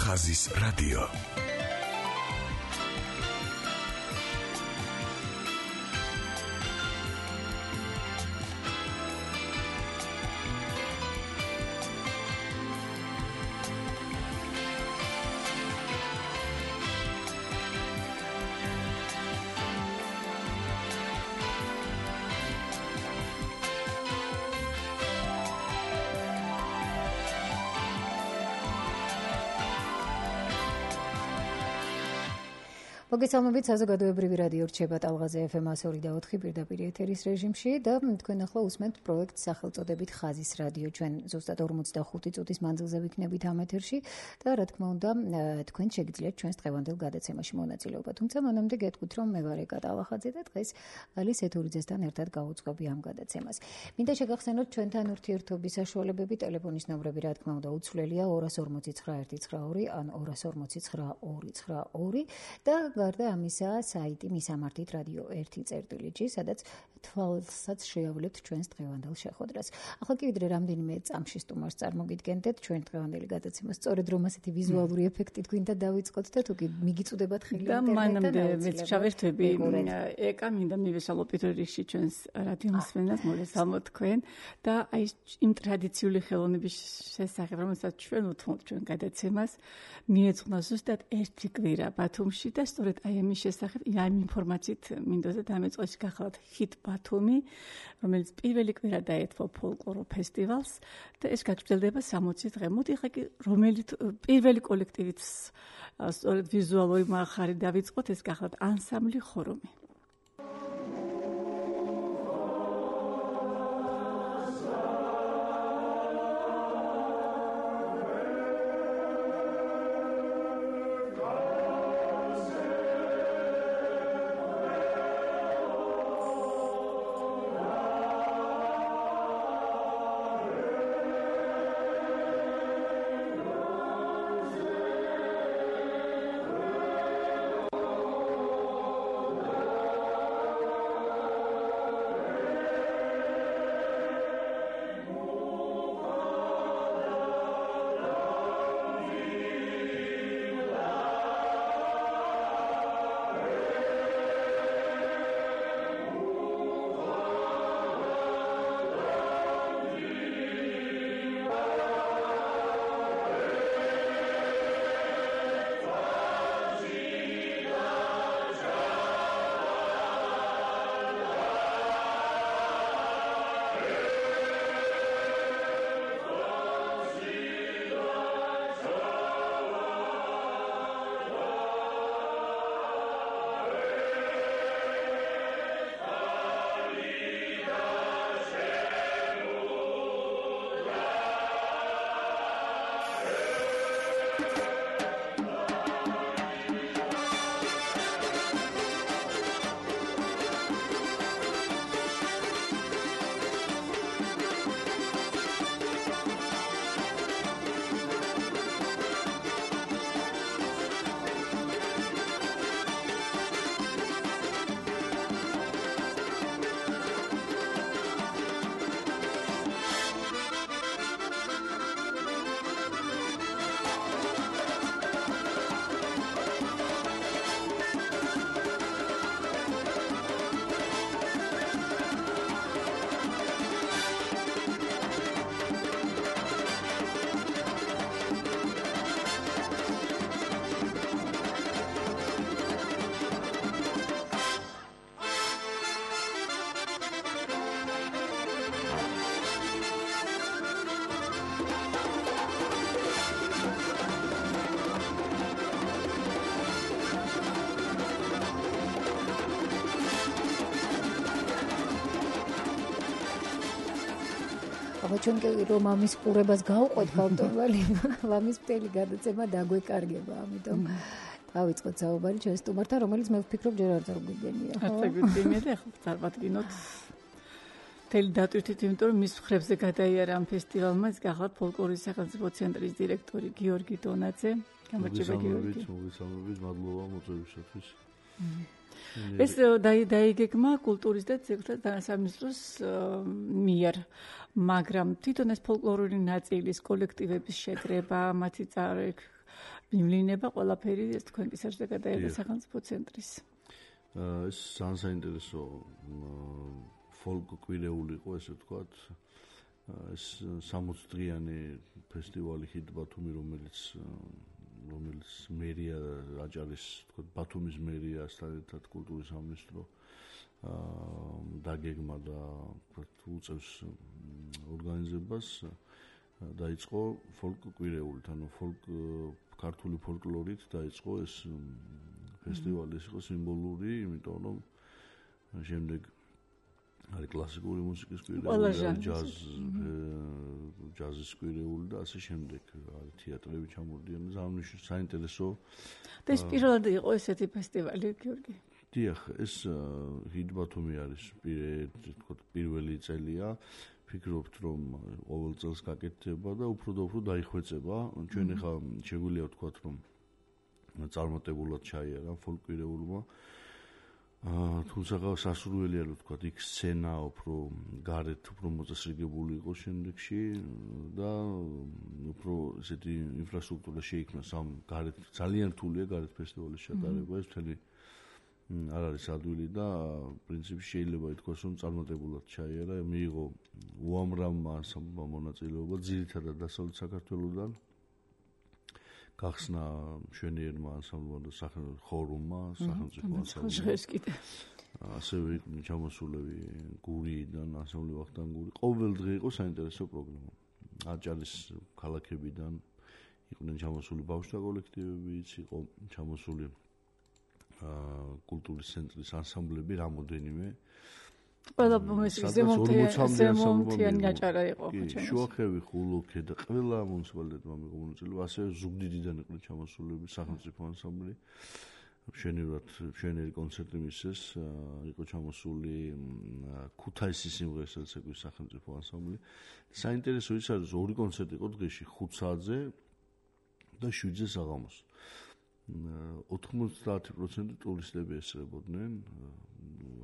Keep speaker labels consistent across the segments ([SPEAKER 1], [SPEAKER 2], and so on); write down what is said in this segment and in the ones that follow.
[SPEAKER 1] ხაზის რადიო.
[SPEAKER 2] მოგესალმებით, საზოგადოებრივი რადიო რჩება ტალღაზე FM 102.4 პირდაპირ ეთერის რეჟიმში და თქვენ ახლა უსმენთ პროექტს სახელწოდებით ხაზის რადიო. ჩვენ ზუსტად 45 წუთის მანძილზე ვიქნებით ამ ეთერში და რა თქმა უნდა, თქვენ შეგიძლიათ ჩვენს დღევანდელ გადაცემაში მონაწილეობა. თუმცა მანამდე გეტყვით, რომ მე ვარ ეკა ტალახაძე და დღეს ალის ეთურიძესთან ერთად გავუძღვები ამ გადაცემას. მინდა შეგახსენოთ ჩვენთან ურთიერთობის საშუალებები, ტელეფონის ნომრები რა თქმა უნდა უცვლელია 249 ან 249 და გარდა ამისა, საიტი მისამართით რადიო 1.წერტილი, სადაც თვალსაც შეავლებთ ჩვენს დღევანდელ შეხვედრას. ახლა კი ვიდრე რამდენიმე წამში სტუმარს წარმოგიდგენდეთ ჩვენ დღევანდელი გადაცემას, სწორედ რომ ასეთი ვიზუალური ეფექტით გვინდა დავიწყოთ და თუ კი მიგიწუდებათ ხელი
[SPEAKER 3] ინტერნეტიდან. და მანამდე მეც ჩავერთვები ეკა მინდა მივესალმო პირველ რიგში ჩვენს რადიო მსმენელს, მოგესალმოთ თქვენ და აი იმ ტრადიციული ხელოვნების შესახებ, რომელსაც ჩვენ უთმობთ ჩვენ გადაცემას, მიეძღვნა ზუსტად ერთი კვირა ბათუმში და სწორედ აი ამის შესახებ, ამ ინფორმაციით მინდოდა დამეწყოს გახლავთ ჰიტ ბათუმი, რომელიც პირველი კვირა დაეთმო ფოლკლორულ ფესტივალს და ეს გაგრძელდება 60 დღე. მოდი ხა კი რომელი პირველი კოლექტივით სწორედ ვიზუალური მხარე დავიწყოთ, ეს გახლავთ ანსამბლი ხორომი.
[SPEAKER 2] ჩვენ რომ ამის ყურებას გავყვეთ ბავშვობალი, ამის მთელი გადაცემა დაგვეკარგება, ამიტომ დავიწყოთ საუბარი ჩვენ სტუმართან, რომელიც მე ვფიქრობ ჯერ არ წარგვიგენია, ხო?
[SPEAKER 3] არ წარგვიგენია და ახლა წარმატგინოთ მთელი დატვირთით, იმიტომ რომ მის მხრებზე გადაიარა ამ ფესტივალმა, ის გახლავთ ფოლკლორის სახელმწიფო ცენტრის დირექტორი გიორგი დონაძე. გამარჯობა გიორგი.
[SPEAKER 4] მოგესალმებით, მადლობა მოწვევისათვის.
[SPEAKER 3] ეს დაიგეგმა კულტურის და ძეგლთა თანასამინისტროს მიერ, მაგრამ თვითონ ეს ფოლკლორული ნაწილის კოლექტივების შეკრება, მათი მიმლინება ყველაფერი ეს თქვენ კისერზე გადაიღეს სახელმწიფო ცენტრის.
[SPEAKER 4] ეს საინტერესო ფოლკ კვირეული იყო, ესე ვთქვათ. ეს 60 დღიანი ფესტივალი ჰიტ ბათუმი, რომელიც მერია აჭარის, თქო, ბათუმის მერიასთან ერთად კულტურის სამინისტრო დაგეგმა და უწევს ორგანიზებას, დაიწყო ფოლკ კვირეულით, ანუ ქართული ფოლკლორით დაიწყო ეს ფესტივალი, ეს იყო სიმბოლური, იმიტომ რომ შემდეგ არის კლასიკური მუსიკის კვირეული, ჯაზის კვირეული და ასე შემდეგ. არის თეატრები ჩამოვიდნენ, ზამთრის საინტერესო.
[SPEAKER 3] და ეს პირველად იყო ესეთი ფესტივალი, გიორგი.
[SPEAKER 4] დიახ, ეს ჰიტ ბათუმი არის პირველი წელია. ფიქრობთ, რომ ყოველ წელს გაკეთდება და უფრო და უფრო დაიხვეწება. ჩვენ ახლა შეგვიძლია ვთქვათ, რომ წარმატებულად ჩაიარა ფოლკ კვირეულმა. თუმცა სასურველია რომ ვთქვათ, იქ სცენა უფრო გარეთ უფრო მოწესრიგებული იყო შემდეგში და უფრო ესეთი ინფრასტრუქტურა შეიქმნა გარეთ ძალიან რთულია გარეთ ფესტივალის ჩატარება, ეს მთელი არ არის ადვილი და პრინციპში შეიძლება ითქვას, რომ წარმატებულად ჩაიარა, მიიღო უამრავმა ანსამბლმა მონაწილეობა, ძირითადად დასავლეთ საქართველოსდან. გახსნა მშვენიერმა ანსამბლმა და ხორუმმა, სახელმწიფო ანსამბლმა. ასევე იყვნენ ჩამოსულები გურიიდან, ანსამბლი ვახტანგ გური. ყოველ დღე იყო საინტერესო პროგრამა. აჭარის ქალაქებიდან იყვნენ ჩამოსული ბავშვთა კოლექტივებიც, იყო ჩამოსული კულტურის ცენტრის ანსამბლები რამოდენიმე.
[SPEAKER 3] ყველა ზემოთიანი აჭარა იყო.
[SPEAKER 4] შუახევი, ხულოქე და ყველა მუნიციპალიტეტმა მიიღო მონაწილეობა, ასევე ზუგდიდიდან იყვნენ ჩამოსულები სახელმწიფო ანსამბლი. მშვენიერი კონცერტი მისცეს, იყო ჩამოსული ქუთაისის სიმღერასაც ეკვის სახელმწიფო ანსამბლი. საინტერესო ის არის, ორი კონცერტი იყო დღეში, 5 საათზე და 7-ზე საღამოს. 90% ტურისტები ესწრებოდნენ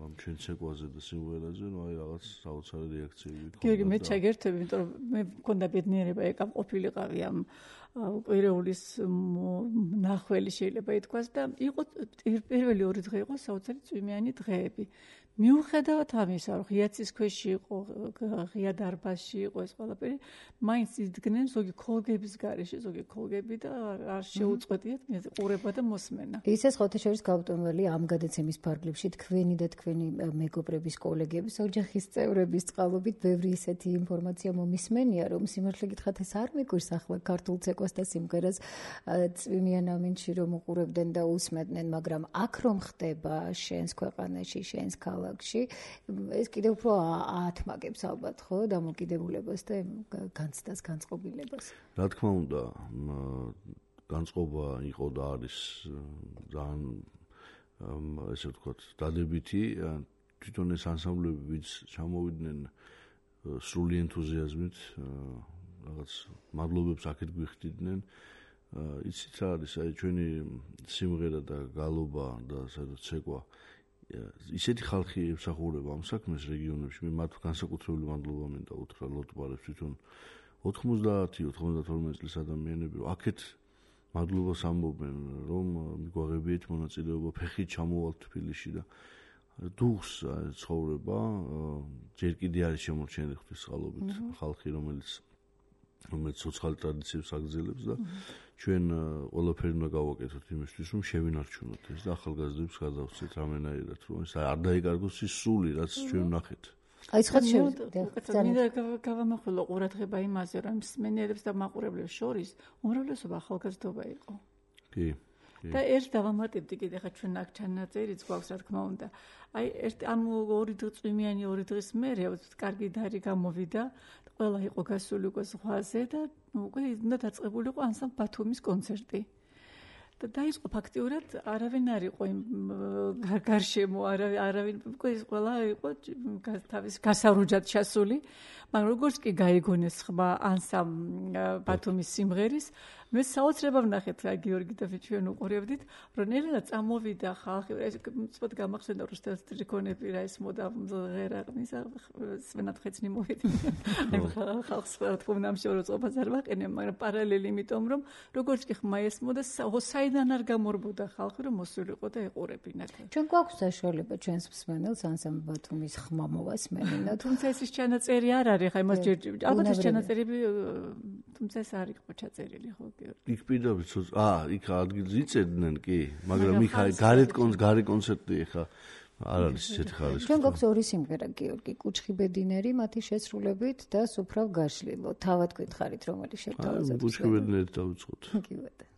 [SPEAKER 4] ამ ჩვენ ცეკვაზე და სიმღერაზე, ნუ აი რაღაც საოცარი რეაქციები იყო.
[SPEAKER 3] გიორგი, მე ჩაგერთები, იმიტომ რომ მე მქონდა ბედნიერება ეკამ ყოფილიყავი ამ კვირეულის ნახველი შეიძლება ითქვას და იყო პირველი 2 დღე იყო საოცარი წვიმიანი დღეები. მიუხედავად ამისა, რომ ღიაცის ქვეში იყო, ღია დარბაზში იყო ეს ყველაფერი, მაინც იდგნენ ზოგი ქოლგების გარეშე, ზოგი ქოლგები და არ შეუწყვეტიათ ყურება და მოსმენა.
[SPEAKER 2] ისეს ხოთეშორის გაუტომველი ამ გადაცემის ფარგლებში თქვენი და თქვენი მეგობრების, კოლეგების, ოჯახის წევრების წყალობით ბევრი ისეთი ინფორმაცია მომისმენია, რომ სიმართლე გითხრათ ეს არ მიგვირს ახლა ქართულ ცეკვას და სიმღერას წვიმიან ამინდში რომ უყურებდნენ და უსმენდნენ, მაგრამ აქ რომ ხდება შენს ქვეყანაში, შენს ქალაქში, ეს კიდევ უფრო აათმაგებს ალბათ, ხო, დამოკიდებულებას და განცდას, განწყობილებას.
[SPEAKER 4] რა თქმა უნდა, განწყობა იყო და არის ძალიან ესე ვთქვათ, დადებითი. თვითონ ეს ანსამბლები, ვინც ჩამოვიდნენ სრული ენთუზიაზმით, რაღაც მადლობებს აქეთ გვიხდიდნენ. იცით რა არის, აი ჩვენი სიმღერა და გალობა და სადაც ცეკვა ისეთი ხალხი ემსახურება ამ საქმეს რეგიონებში, მე მათ განსაკუთრებული მადლობა მინდა უთხრა ლოტბარებს, თვითონ 90-92 წლის ადამიანები აქეთ მადლობას ამბობენ, რომ მიგვაღებიეთ მონაწილეობა, ფეხით ჩამოვალთ თბილისში და დუხს ცხოვრება, ჯერ კიდე არის შემორჩენილი ღვთისმსხალობით ხალხი, რომელიც ცოცხალი ტრადიციებს აგრძელებს და ჩვენ ყველაფერი უნდა გავაკეთოთ იმისთვის, რომ შევინარჩუნოთ ეს და ახალგაზრდებს გადავცეთ რამენაირად, რომ ეს არ დაიკარგოს ის სული, რაც ჩვენ ვნახეთ.
[SPEAKER 2] აი ცხად
[SPEAKER 3] მინდა გავამახვილო ყურადღება იმაზე, რომ მსმენელებს და მაყურებლებს შორის უმრავლესობა ახალგაზრდობა იყო.
[SPEAKER 4] კი.
[SPEAKER 3] და ერთ დავამატებდი კიდე ხა ჩვენ აქ ჩანაწერიც გვაქვს, რა თქმა უნდა. აი ამ 2 წვიმიანი 2 დღის მერე კარგი დარი გამოვიდა, ყველა იყო გასული უკვე ზღვაზე და უკვე უნდა დაწყებულიყო ანსამბლ ბათუმის კონცერტი. და დაიწყო ფაქტიურად არავინ არ იყო იმ გარშემო, არავინ უკვე ის ყველა იყო თავის გასარუჯად ჩასული, მაგრამ როგორც კი გაიგონეს ხმა ანსამბლ ბათუმის სიმღერის, მე საოცრება ვნახეთ გიორგი და ჩვენ უყურებდით, რომ ნელა წამოვიდა ხალხი, ეს მწოდ გამახსენდა რომ სტელსტრიკონები რა ეს მოდა ღერაღნის სვენად ხეცნი მოვიდა. ხალხს რა თქმა უნდა ამშოროწობას არ ვაყენებ, მაგრამ პარალელი იმიტომ რომ როგორც კი ხმა ესმოდა საიდან არ გამორბოდა ხალხი რომ მოსულიყო და ეყურებინათ.
[SPEAKER 2] ჩვენ გვაქვს საშუალება ჩვენს მსმენელს ანსამბლ ბათუმის ხმა მოვასმენინოთ.
[SPEAKER 3] თუმცა ეს ჩანაწერი არ არის, ხა იმას ჯერ ალბათ ეს ჩანაწერები თუმცა ეს არ იყო ჩაწერილი ხო გიორგი.
[SPEAKER 4] იქ პირდაპირ იქ ადგილს იწედნენ კი, მაგრამ იქ გარე კონცერტი ხა არ არის ისეთი ხარისხი.
[SPEAKER 2] ჩვენ გვაქვს ორი სიმღერა გიორგი, კუჩხი ბედინერი მათი შესრულებით და სუფრავ გაშლილო. თავად გითხარით რომელი შევთავაზოთ?
[SPEAKER 4] კუჩხი ბედინერი დავიწყოთ.
[SPEAKER 2] კი ბატონო.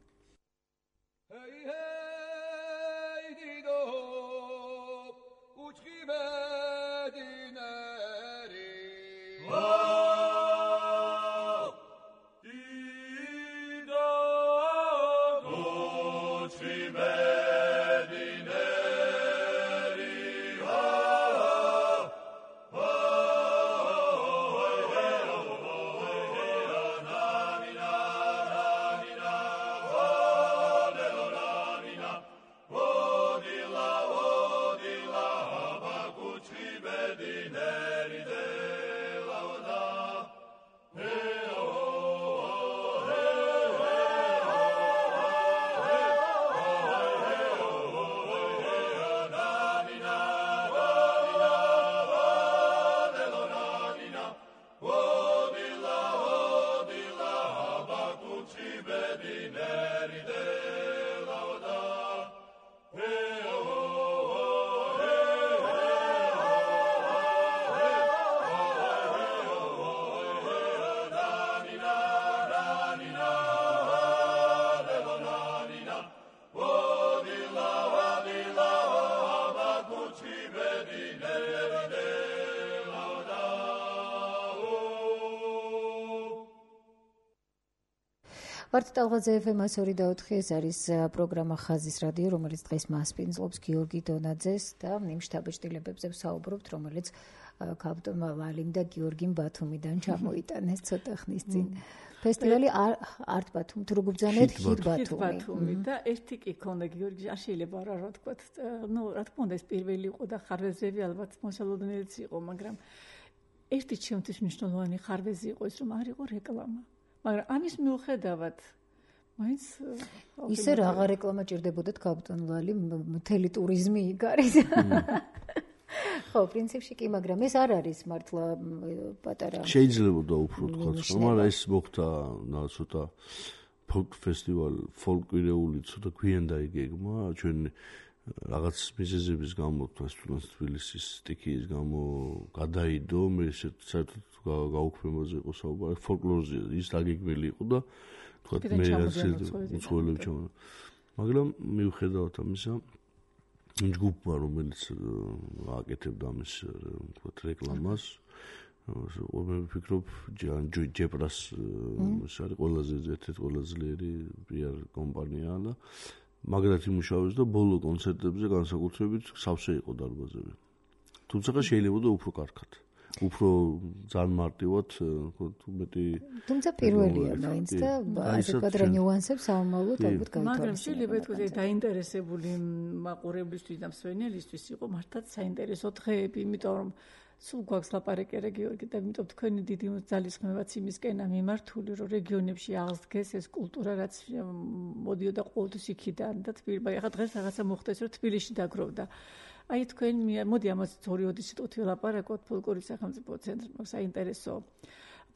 [SPEAKER 2] ვართ ტალღაზე FM 102.4 ეს არის პროგრამა ხაზის რადიო, რომელიც დღეს მასპინძლობს გიორგი დონაძეს და იმ შთაბეჭდილებებზე ვსაუბრობთ, რომელიც კაპიტანმა ლალიმ და გიორგიმ ბათუმიდან ჩამოიტანეს ცოტა ხნის წინ. ფესტივალი არტ ბათუმი, თუ როგორ ბრძანეთ ჰიტ ბათუმი
[SPEAKER 3] და ერთი კი ქონდა გიორგი, არ შეიძლება რა თქვათ, ნუ რა თქმა უნდა ეს პირველი იყო და ხარვეზები ალბათ მოსალოდნელიც იყო, მაგრამ ერთი ჩემთვის მნიშვნელოვანი ხარვეზი იყო ის, რომ არ იყო რეკლამა. მაგრამ ამის მიუხედავად მაინც
[SPEAKER 2] ისე რაღა რეკლამა ჭირდებოდათ კაპიტან ლალი მთელი ტურიზმი იქ არის. ხო, პრინციპში კი, მაგრამ ეს არ არის მართლა პატარა.
[SPEAKER 4] შეიძლება და უფრო თქვა, მაგრამ ეს მოხდა ცოტა ფოლკ ფესტივალი, ფოლკვირეული ცოტა გვიან დაიგეგმა, ჩვენ რაღაც მიზეზების გამო თბილისის სტიქიის გამო გადაიდო, მე საერთოდ გაუქმებაზე იყო საუბარი, ფოლკლორზე ის დაგეგმილი იყო და თქვა მე უცხოელები ჩამოვა. მაგრამ მიუხედავად ამისა, ჯგუფმა რომელიც აკეთებდა ამის თქვა რეკლამას, მე ვფიქრობ ჯეპრას ეს არის ყველაზე ერთ-ერთი ყველაზე ძლიერი PR კომპანია და მაგრად იმუშავებს და ბოლო კონცერტებზე განსაკუთრებით სავსე იყო დარბაზები. თუმცა შეიძლება და უფრო კარგად. უფრო ძალიან მარტივად, მეტი
[SPEAKER 2] თუმცა პირველია მაინც და ასე კვადრა ნიუანსებს საომალოდ ალბათ გაითვალისწინებთ.
[SPEAKER 3] მაგრამ შეიძლება ითქვას დაინტერესებული მაყურებლისთვის და მსმენელისთვის იყო მართლაც საინტერესო დღეები, იმიტომ რომ სულ გვაქვს ლაპარაკერე გიორგი და იმიტომ თქვენი დიდი ძალისხმევაც იმისკენა მიმართული, რომ რეგიონებში აღსდგეს ეს კულტურა, რაც მოდიოდა ყოველთვის იქიდან და თბილისში. ახლა დღეს რაღაცა მოხდეს, რომ თბილისში დაგროვდა. აი თქვენ მოდი ამას ორი სიტყვით ვილაპარაკოთ, ფოლკლორის სახელმწიფო ცენტრმა საინტერესო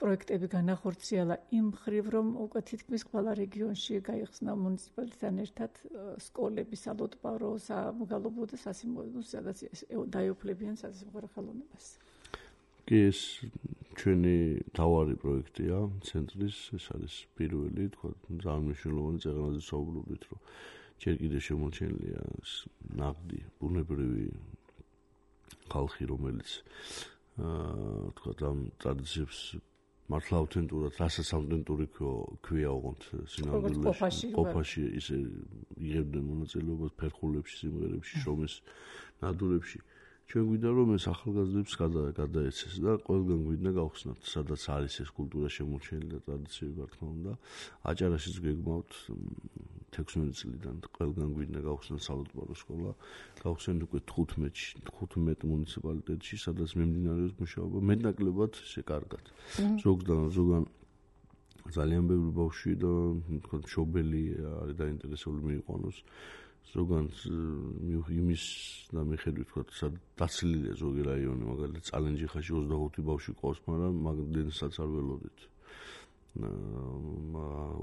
[SPEAKER 3] პროექტები განახორციელა იმ მხრივ, რომ უკვე თითქმის ყველა რეგიონში გაიხსნა მუნიციპალიტეტთან ერთად სკოლები, სალოტბარო, სამგალობო და სასიმონო, სადაც დაეუფლებიან სასიმღერო ხელოვნებას.
[SPEAKER 4] კი, ეს ჩვენი თავარი პროექტია ცენტრის, ეს არის პირველი, თქვა, ძალიან მნიშვნელოვანი წეღანაზე საუბრობდით, რომ ჯერ კიდევ შემორჩენილია ნაღდი, ბუნებრივი ხალხი, რომელიც თქვა, ამ ტრადიციებს მართლა ავთენტურად, რასაც ავთენტური ქვია ოღონდ სინამდვილეში, ყოფაში ისე იღებდნენ მონაწილეობას ფერხულებში, სიმღერებში, შრომის ნადურებში. ჩვენ გვინდა რომ ეს ახალგაზრდებს გადაეცეს და ყველგან გვინდა გავხსნათ, სადაც არის ეს კულტურა შემორჩენილი და ტრადიციები, რა თქმა უნდა. აჭარაშიც გეგმავთ 16 წლიდან ყველგან გვინდა გავხსნათ სალუტბარო სკოლა. გავხსენთ უკვე 15 მუნიციპალიტეტში, სადაც მიმდინარეობს მუშაობა. მეტნაკლებად ესე კარგად. ზოგან ძალიან ბევრი ბავშვი და თქო მშობელი არის დაინტერესებული მიიყვანოს. ზოგან იმის და მიხედვით თქო დაცლილია ზოგი რაიონი, მაგალითად წალენჯიხაში 25 ბავშვი ყავს, მაგრამ მაგდენსაც არ ველოდით.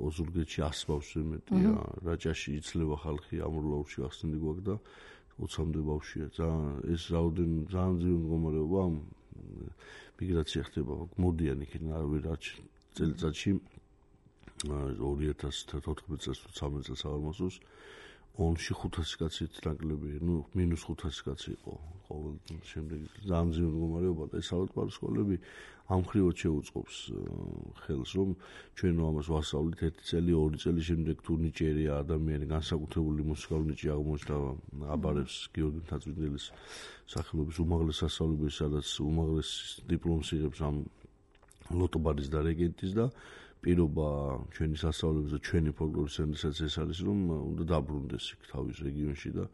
[SPEAKER 4] ოზურგეთში 100 ბავშვი მეტია, რაჭაში იცლება ხალხი, ამურლაურში ახსნილი გვაქვს და 20-მდე ბავშვია. ეს ძალიან ძლიერი მდგომარეობა, მიგრაცია ხდება, მოდიან იქიდან არავინ წელიწადში 2014 წელს თუ 13 წელს აღარ მოსულს ონში 500 კაცით ნაკლები, მინუს 500 კაცი იყო ყოველ შემდეგ ძალიან ძლიერი მდგომარეობა და ეს სალუტბარო სკოლები ამ ხრივად შეუწყობს ხელს, რომ ჩვენ ამას ვასწავლით 1 წელი, 2 წელი შემდეგ თუ ნიჭიერია ადამიანი განსაკუთრებული მუსიკალური ნიჭი აღმოჩნდა, აბარებს გიორგი მთაწმიდელის სახელობის უმაღლეს სასწავლებელში, სადაც უმაღლეს დიპლომს იღებს ამ ლოტობარის და რეგენტის და პირობა ჩვენი სასწავლებლების და ჩვენი ფოლკლორის ცენტრსაც ეს არის, რომ უნდა დაბრუნდეს იქ თავის რეგიონში და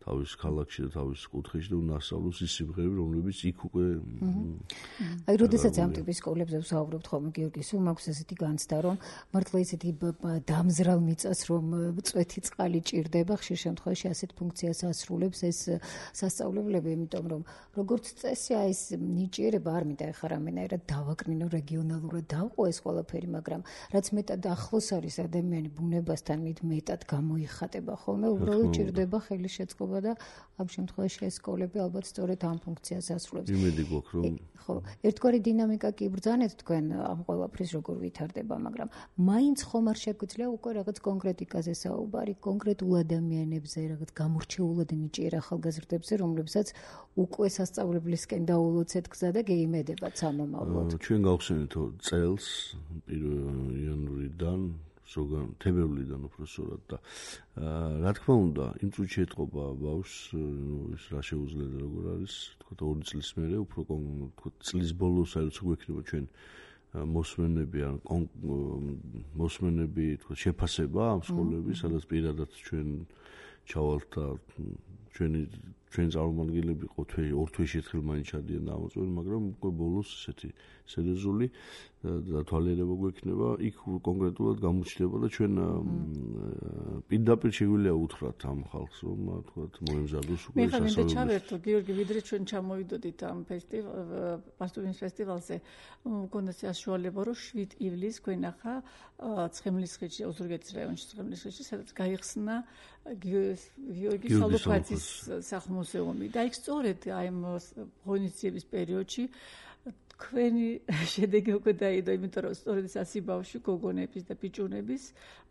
[SPEAKER 4] თავის ქალაქში და თავის კუთხეში და უნდა ასწავლოს ის სიმღერები, რომლებიც იქ უკვე
[SPEAKER 2] აი, როდესაც ამ ტიპის სკოლებზე ვსაუბრობთ ხოლმე, გიორგი, სულ მაქვს ესეთი განცდა, რომ მართლა ესეთი დამზრალ მიწას, რომ წვეთი წყალი ჭირდება, ხშირ შემთხვევაში ასეთ ფუნქციას ასრულებს ეს სასწავლებლები, იმიტომ რომ როგორც წესი, აი ეს ნიჭიერება არ მინდა ეხლა რამენაირად დავაკრინო რეგიონალურად დავყო ეს ყველაფერი, მაგრამ რაც მეტად ახლოს არის ადამიანი ბუნებასთან, მით მეტად გამოიხატება ხოლმე, უბრალოდ ჭირდება ხელის შეწყობა და ამ შემთხვევაში ეს სკოლები ალბათ სწორედ ამ ფუნქციას ასრულებს.
[SPEAKER 4] იმედი გვაქვს, რომ
[SPEAKER 2] ხო, ერთგვარი დინამიკა კი იბრძანეთ თქვენ ამ ყველაფრის როგორ ვითარდება, მაგრამ მაინც ხომ არ შეგვიძლია უკვე რაღაც კონკრეტიკაზე საუბარი, კონკრეტულ ადამიანებზე, რაღაც გამორჩეულად ნიჭიერ ახალგაზრდებზე, რომლებსაც უკვე სასწავლებლისკენ დაულოცეთ გზა და გეიმედებათ სამომავლოდ.
[SPEAKER 4] ჩვენ გავხსენით წელს 1 იანვრიდან ზოგან თებერვლიდან უბრალოდ და რა თქმა უნდა, იმ წუთში ეთყობა ბავშვს, ის რა შეუძლია და როგორ არის, თქო 2 წლის მერე უფრო თქო წლის ბოლოს არის გვექნება ჩვენ მოსმენები თქო შეფასება ამ სკოლების, სადაც პირადად ჩვენ ჩავალთ და ჩვენ წარმომადგენლები ყო ორ თვეში ერთხელ მაინც ჩადიან და ამოწმენ, მაგრამ უკვე ბოლოს ესეთი სერიოზული დათვალიერება გვექნება, იქ კონკრეტულად გამოჩნდება და ჩვენ პირდაპირ შეგვიძლია უთხრათ ამ ხალხს, რომ თქვათ მოემზადოს უკვე
[SPEAKER 3] სასწავლებლად. მე ხარ ჩავერთო, გიორგი, ვიდრე ჩვენ ჩამოვიდოდით ამ პასტურის ფესტივალზე, მგონია საშუალება, რომ 7 ივლისს გვენახა ცხენისხილში, ოზურგეთის რაიონში ცხენისხილში, სადაც გაიხსნა გიორგი სალოფაძის სახლ-მუზეუმი და იქ სწორედ აი ამ ღონისძიების პერიოდში თქვენი შედეგი უკვე დაიდო, იმიტომ რომ სწორედ ეს 100 ბავშვი, გოგონების და ბიჭუნების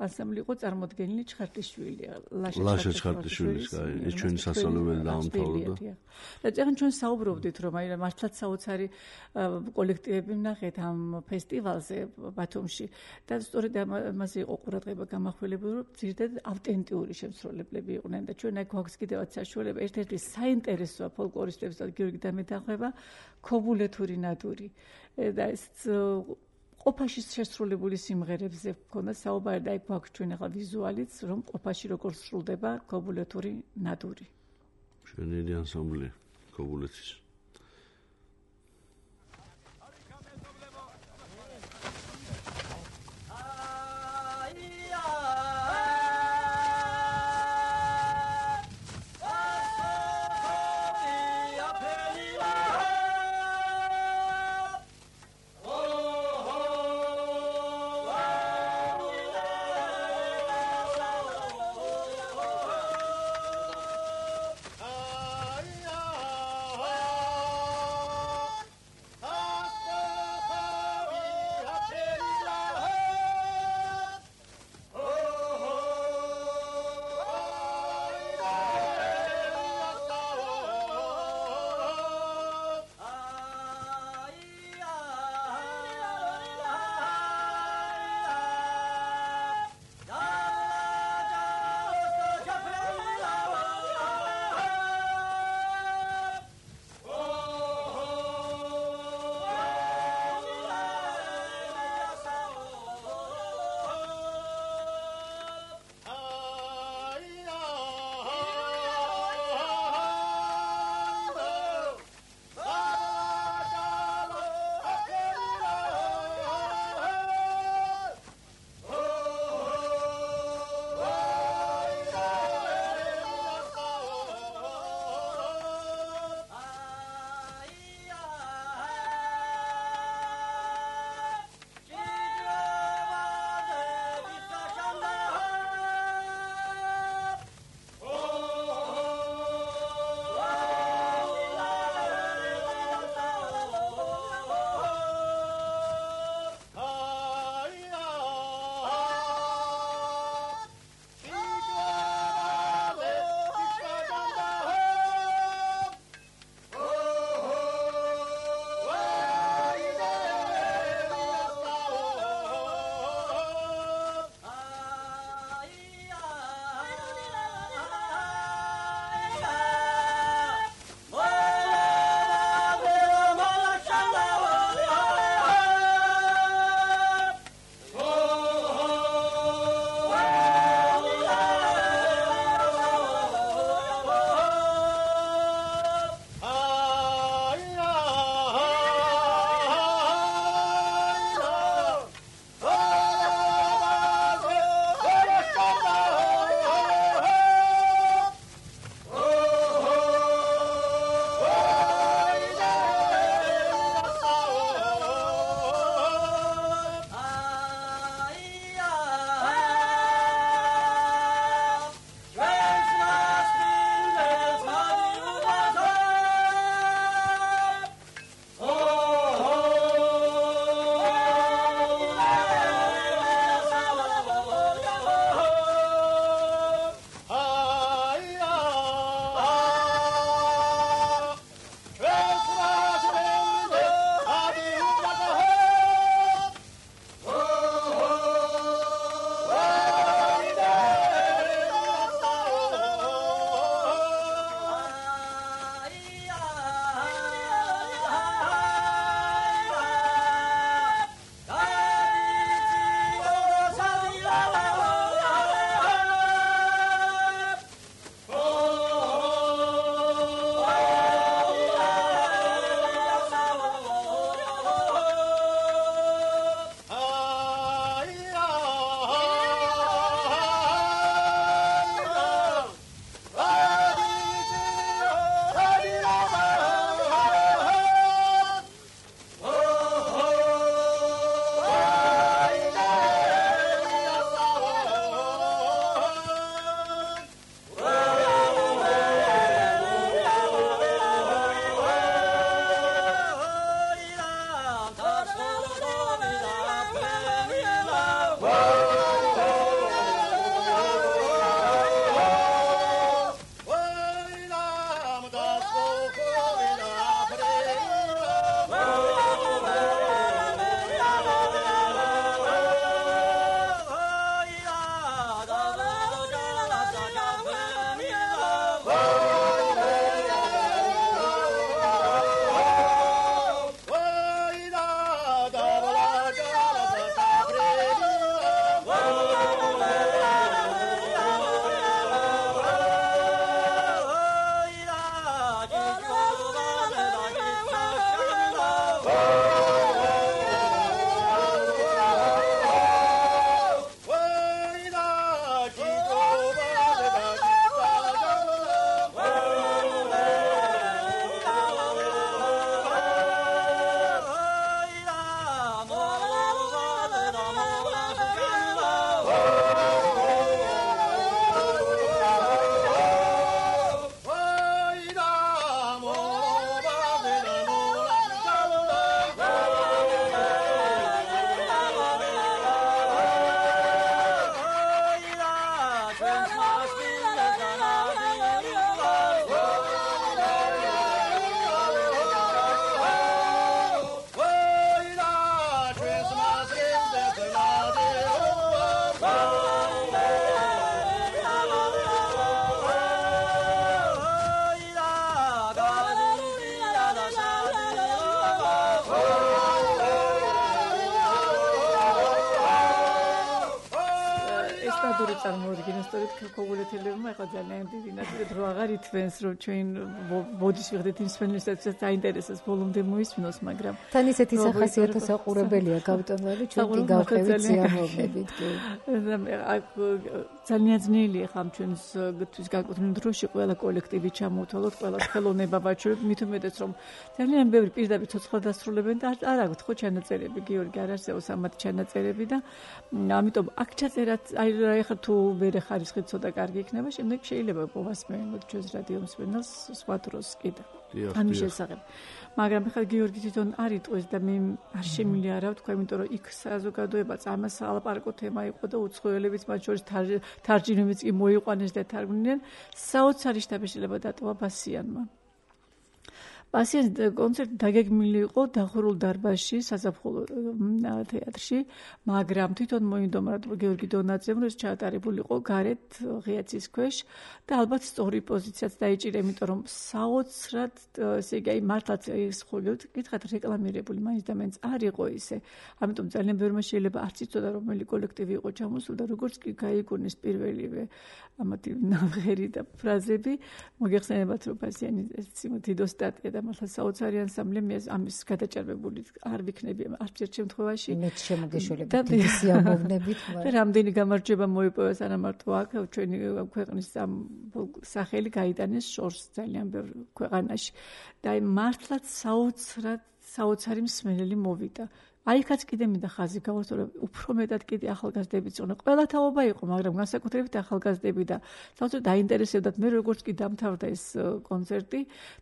[SPEAKER 3] ანსამბლი იყო წარმოდგენილი ჩხარტიშვილი,
[SPEAKER 4] ლაშა ჩხარტიშვილის, ეს ჩვენი სასწავლებელი დაამთავრა.
[SPEAKER 3] და წეგან ჩვენ საუბრობდით, რომ აი მართლაც საოცარი კოლექტივები ვნახეთ ამ ფესტივალზე ბათუმში და სწორედ ამაზე იყო ყურადღება გამახვილებული, რომ ძირითადად ავტენტიური შემსრულებლები იყვნენ და ჩვენ აი გვაქვს კიდევაც საშუალება ერთ-ერთი საინტერესოა ფოლკლორისტებს და გიორგი დამეთანხმება ქობულეთური ნადური და ეს ყოფაში შესრულებული სიმღერებზე მქონდა საუბარი და აი გვაქვს ჩვენ ახლა ვიზუალიც, რომ ყოფაში როგორ სრულდება ქობულეთური ნადური.
[SPEAKER 4] ჩვენი ანსამბლი ქობულეთის
[SPEAKER 3] წარმოუდგინო სწორედ ქოგულეთელებმა ახლა ძალიან დიდი ნაწილი დრო აღარ ითვენს რომ ჩვენ ბოდიშ ვიღდით იმ სპეციალისტებს დაინტერესებს ბოლომდე მოისმინოს მაგრამ
[SPEAKER 2] თან ისეთი სახასიათო საყურებელია გავტონვალი ჩვენ კი გავყევით სიამოვნებით კი
[SPEAKER 3] ძალიან ძნელია ხამ ჩვენთვის განკუთვნილ დროში ყველა კოლექტივი ჩამოვთვალოთ ყველა ხელოვნება ვაჩვენებთ მით უმეტეს რომ ძალიან ბევრი პირდაპირ ცოცხლად დასრულებენ და არ აქვთ ხო ჩანაწერები გიორგი არ არსებობს ამათ ჩანაწერები და ამიტომ აქ ჩაწერათ აი ახლა თუ მერე ხარისხი ცოტა კარგი იქნება შემდეგ შეიძლება povasmeოთ ჩვენს რადიო მსმენელს სხვა დროს კიდე ამის შესახებ მაგრამ ახლა გიორგი თვითონ არ იტყვის და მე არ შემიძლია რა ვთქვა იმიტომ რომ იქ საზოგადოებაც ამას ალაპარაკო თემა იყო და უცხოელებიც მათ შორის თარჯიმნებიც კი მოიყვანეს და თარგმნიან საოცარი შტაბი შეიძლება დატოვა ბასიანმა ბასიანის კონცერტი დაგეგმილი იყო დახურულ დარბაზში საზაფხულო თეატრში მაგრამ თვითონ მოინდომა რომ გიორგი დონაძემ რომ ჩაატარებული იყო გარეთ ღიაცის ქვეშ და ალბათ სწორი პოზიციაც დაიჭირა იმიტომ რომ საოცრად ესე იგი აი მართლაც ეს ხო გითხათ რეკლამირებული მაინც და მაინც არ იყო ისე ამიტომ ძალიან ბევრმა შეიძლება არც იცოდა რომელი კოლექტივი იყო ჩამოსული და როგორც კი გაიგონეს პირველივე ამათი ნაღერი და ფრაზები მოგეხსენებათ რომ ბასიანი დიდო სტატია და მართლა საოცარი ანსამბლი მე ამის გადაჭარბებული არ ვიქნები არც ერთ შემთხვევაში
[SPEAKER 2] მეც შემოგეშველები დიდი სიამოვნებით
[SPEAKER 3] და რამდენი გამარჯვება მოიპოვა სანამარტო აქ ჩვენი ქვეყნის სახელი გაიტანეს შორს ძალიან ბევრ ქვეყანაში და აი მართლაც საოცარი მსმენელი მოვიდა აიქაც კიდე მინდა ხაზი გავუსწრო რომ უფრო მეტად კიდე ახალგაზრდებიც იყვნენ ყველა თაობა იყო მაგრამ განსაკუთრებით ახალგაზრდები და საოცრად დაინტერესებდათ მე როგორც კი დამთავრდა ეს კონცერტი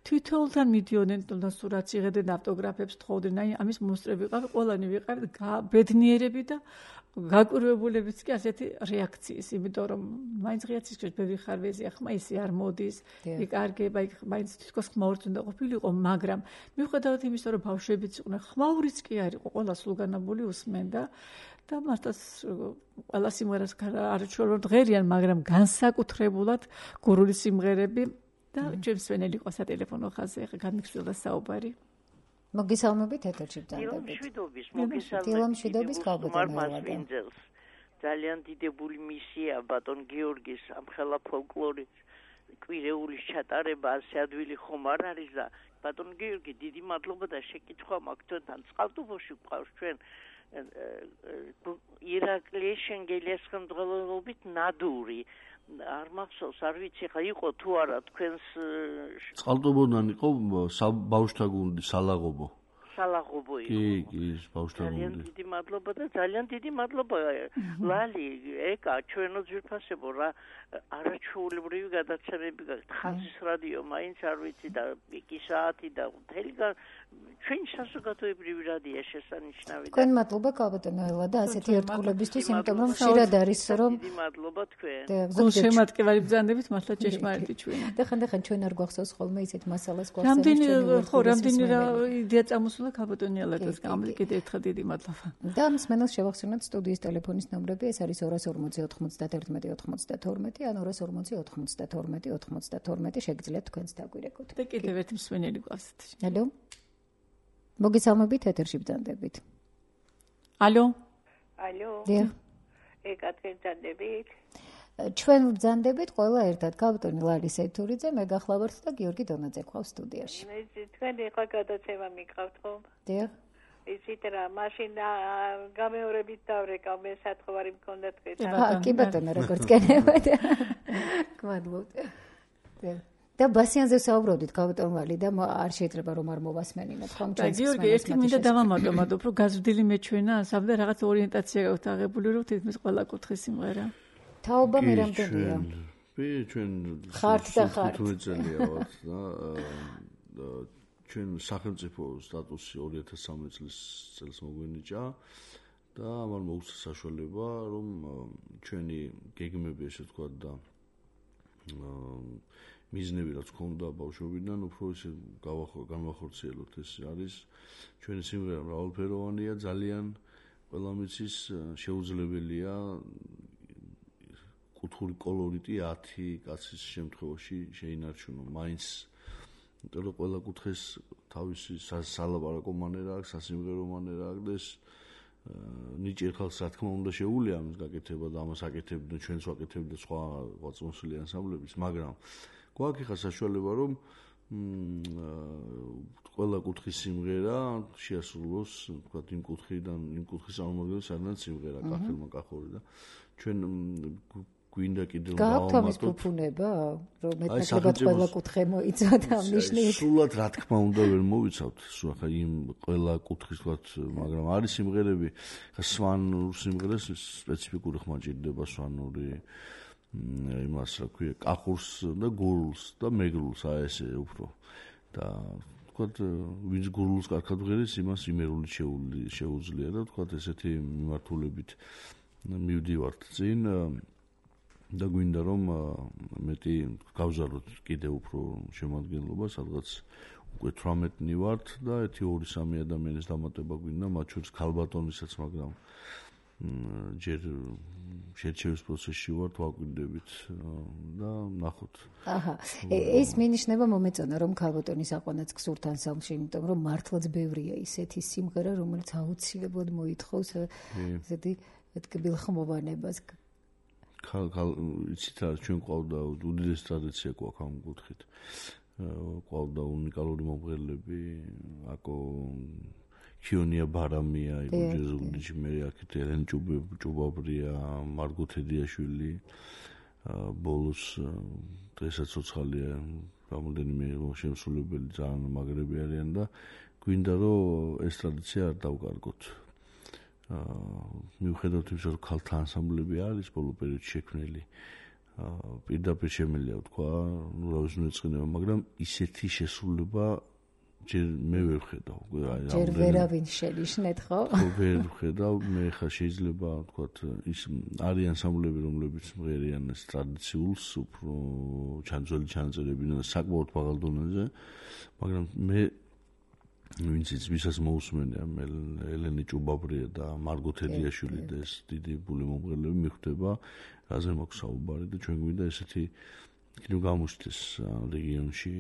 [SPEAKER 3] თვითონთან მიდიოდნენ და სურათს იღებდნენ ავტოგრაფებს თხოვდნენ აი ამის მოსწრე ვიყავი ყველანი ვიყავით ბედნიერები და გაკურვებულებიც კი ასეთი რეაქციის იმიტომ რომ მაინც ღიაცის ქვეშ ბევრი ხარვეზია ხმა ისე არ მოდის იკარგება იქ მაინც თვითონ ხმაურიც უნდა ყოფილიყო მაგრამ მიუხედავად იმისა რომ ბავშვებიც იყვნენ ხმაურიც კი არ იყო ყველა სულგანაბული უსმენდა და მართლაც ყველა სიმღერას არ ჩვეულებრივ ღერიან მაგრამ განსაკუთრებულად გურული სიმღერები და ჩვენ მსმენელი იყო სატელეფონო ხაზზე ახლა განმიხსოვდა საუბარი
[SPEAKER 2] მოგესალმებით ეთერში ბრძანდებით. დილამშვიდობის
[SPEAKER 1] ქალბატონს. ძალიან დიდებული მისია ბატონ გიორგის ამხელა ფოლკლორის კვირეულის ჩატარება ასე ადვილი ხომ არ არის და ბატონ გიორგი დიდი მადლობა და შეკითხვა მაქვს თქვენთან წყალტუბოში გვყავს ჩვენ ირაკლი შენგელიას ხელმძღვანელობით ნადური არ მახსოვს არ ვიცი ხა იყო თუ არა თქვენს
[SPEAKER 4] წყალტუბოდან იყო ბავშვთა გუნდი სალაღობო
[SPEAKER 1] იყო
[SPEAKER 4] კი ბავშვთა გუნდი
[SPEAKER 1] ძალიან დიდი მადლობა და ძალიან დიდი მადლობა ლალი ეკა ჩვენო ძვირფასებო რა არაჩვეულებრივი გადაცემები გაქვთ ხაზის რადიო მაინც არ ვიცი და პიკი საათი და მთელი ჩვენი საზოგადოებრივი რადიო შესანიშნავია
[SPEAKER 2] თქვენ მადლობა ქალბატონო ელა და ასეთი ერთგულებისთვის იმიტომ რომ ხშირად არის რომ
[SPEAKER 1] დიდი მადლობა თქვენ
[SPEAKER 3] გულ შემატკივარი ბრძანდებით მართლა ჭეშმარიტი ჩვენ
[SPEAKER 2] და ხანდახან ჩვენ არ გვახსოვს ხოლმე ისეთ მასალას გვახსენებს
[SPEAKER 3] რამდენი რა იდეა წამოსულა ქალბატონი ელატოს გამლი კიდე ერთხელ დიდი მადლობა
[SPEAKER 2] და ამ მსმენელს შევახსენოთ სტუდიის ტელეფონის ნომრები ეს არის 240 91 92 ან 240 92 92 შეგიძლიათ თქვენს დაგვირეკოთ
[SPEAKER 3] და კიდევ ერთი მსმენელი გვასეთ
[SPEAKER 2] ალო მოგესალმებით ეთერში ბრძანდებით
[SPEAKER 3] ალო
[SPEAKER 2] დიახ
[SPEAKER 1] ეკათერ ბრძანდებით
[SPEAKER 2] ჩვენ ბრძანდებით ყველა ერთად ქალბატონი ლარის ეთურიძე მე გახლავართ და გიორგი დონაძე ყავს სტუდიაში
[SPEAKER 1] მე თქვენ ეხლა გადაცემა მიყავთ ხომ
[SPEAKER 2] დიახ
[SPEAKER 1] ისეთ რა მაშინ გამეორებით დავრეკავ მე სათხოვარი მქონდა თქვენთან
[SPEAKER 2] კი ბატონო როგორც გენებათ გმადლობთ და ბასიანზე საუბრობდით ქალბატონვალი და არ შეიძლება რომ არ მოვასმენინოთ ხომ
[SPEAKER 3] ჩვენ გიორგი ერთი მინდა დავამატოთ უფრო გაზრდილი მეჩვენა ასაბ და რაღაც ორიენტაცია გაქვთ აღებული რომ თითქმის ყველა კუთხის სიმღერა
[SPEAKER 2] თაობა მე რამდენია
[SPEAKER 4] ჩვენ
[SPEAKER 2] ხართ და ხართ
[SPEAKER 4] წელია ვართ და ჩვენ სახელმწიფო სტატუსი 2013 წელს მოგვენიჭა და ამან მოგვცა საშუალება რომ ჩვენი გეგმები ესე ვთქვათ და მიზნები რაც ქონდა ბავშვობიდან უფრო ისე განვახორციელოთ ეს არის ჩვენი სიმღერა მრავალფეროვანია ძალიან ყველა მიცის შეუძლებელია კუთხური კოლორიტი 10 კაცის შემთხვევაში შეინარჩუნო მაინც იმიტომ რომ ყველა კუთხეს თავისი სალაპარაკო მანერა აქვს სასიმღერო მანერა აქვს ნიჭიერ ხალხს რა თქმა უნდა შეუძლია ამის გაკეთება და ამას აკეთებდნენ ჩვენც ვაკეთებდით სხვა წმოსვილი ანსამბლების, მაგრამ გვაქვს ხა საშუალება რომ ყველა კუთხის სიმღერა შეასრულოს, თქვა იმ კუთხიდან, იმ კუთხის წარმომადგენელი სადაც სიმღერა კახელმა კახური და ჩვენ გვინდა კიდევ
[SPEAKER 2] გავთ ამის ფუფუნება, რომ მეტნაკლებად ყველა კუთხე მოიცავთ ამ ნიშნით.
[SPEAKER 4] სულად რა თქმა უნდა ვერ მოვიცავთ, სულ ხა იმ ყველა კუთხის თქვა, მაგრამ არის სიმღერები, ხა სვანურ სიმღერას სპეციფიკური ხმა ჭირდება სვანური იმას რა ქვია, კახურს და გურულს და მეგრულს, აი ესე უფრო და თქვა ვინც გურულს კარგად ვღერეს, იმას იმერული შეუძლია და თქვა ესეთი მიმართულებით მივდივართ წინ და გვინდა რომ მეტი გავზარდოთ კიდევ უფრო შემადგენლობა, სადღაც უკვე 18-ნი ვართ და 1-2-3 ადამიანის დამატება გვინდა, მათ შორის ქალბატონისაც, მაგრამ ჯერ შერჩევის პროცესში ვართ, ვაკვირდებით და ნახოთ.
[SPEAKER 2] აჰა, ეს მინიშნება მომეწონა რომ ქალბატონის აყვანაც გსურთ ანსამბლში, იმიტომ რომ მართლაც ბევრია ისეთი სიმღერა, რომელიც აუცილებლად მოითხოვს ესეთი კბილხმოვანებას.
[SPEAKER 4] იცით რა, ჩვენ ყავდა უდიდესი ტრადიცია გვაქვს ამ კუთხით. ყავდა უნიკალური მომღერლები, აკო ქიონია ბარამია, იბოჯეზულიჩი, მე აქეთ ელენ ჭუბაბრია, მარგო თედიაშვილი, ბოლოს დღესაც ცოცხალია, რამოდენიმე შემსრულებელი ძალიან მაგრები არიან და გვინდა რომ ეს ტრადიცია არ დავკარგოთ. მიუხედავად იმისა, რომ ქალთა ანსამბლები არის ბოლო პერიოდში შექმნილი, პირდაპირ შემიძლია ვთქვა, რა ვიცი ეწყინება, მაგრამ ისეთი შესრულება ჯერ მე ვერ ვხედავ.
[SPEAKER 2] ჯერ ვერავინ შენიშნეთ, ხო?
[SPEAKER 4] ვერ ვხედავ, მე ხა შეიძლება ვთქვათ, ის არის ანსამბლები, რომლებიც მღერიან ეს ტრადიციულს, უფრო ჩანძველი ჩანაწერები და საკმაოდ მაღალ დონეზე, მაგრამ მე ვინც ვისაც მოусმენია ელენე ჭუბაბრია და მარგო თედიაშვილი და ეს დიდი ბული მომღერლები მიხვდება, რაზე მაქვს საუბარი და ჩვენ გვინდა ესეთი კიდევ გამოსდეს რეგიონში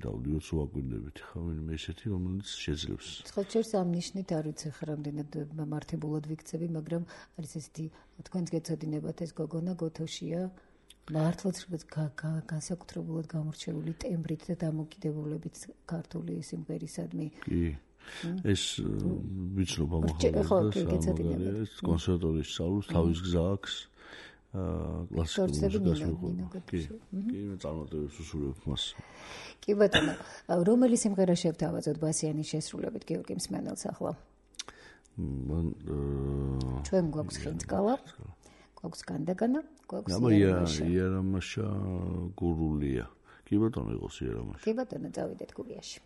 [SPEAKER 4] დავდიოთ ვაკვირდებით ხა ვინმე ესეთი რომელიც შეძლებს.
[SPEAKER 2] ხოჭერს ამ ნიშნით არ ვიცი ხა რამდენად მართებულად ვიქცები, მაგრამ არის ესეთი თქვენს გეცოდინებათ ეს გოგონა გოთოშია. მართლაც განსაკუთრებულად გამორჩეული ტემბრით და დამოკიდებულებით ქართული სიმღერისადმი.
[SPEAKER 4] კი. ეს ვიცნობ ამახალებს ეს კონსერვატორიაში სწავლობს, თავის გზა აქვს. კლასიკური მუსიკას. კი, მე წარმატებებს უსურვებ მას.
[SPEAKER 2] კი ბატონო, რომელი სიმღერა შევთავაზოთ ბასიანის შესრულებით გიორგი მსმენელს ახლა? ჩვენ გვაქვს ხინძკალა. გვაქვს განდაგანა, გვაქვს
[SPEAKER 4] იერამაშა გურულია. კი ბატონო, იყოს იერამაშა.
[SPEAKER 2] კი ბატონო, წავიდეთ გურიაში.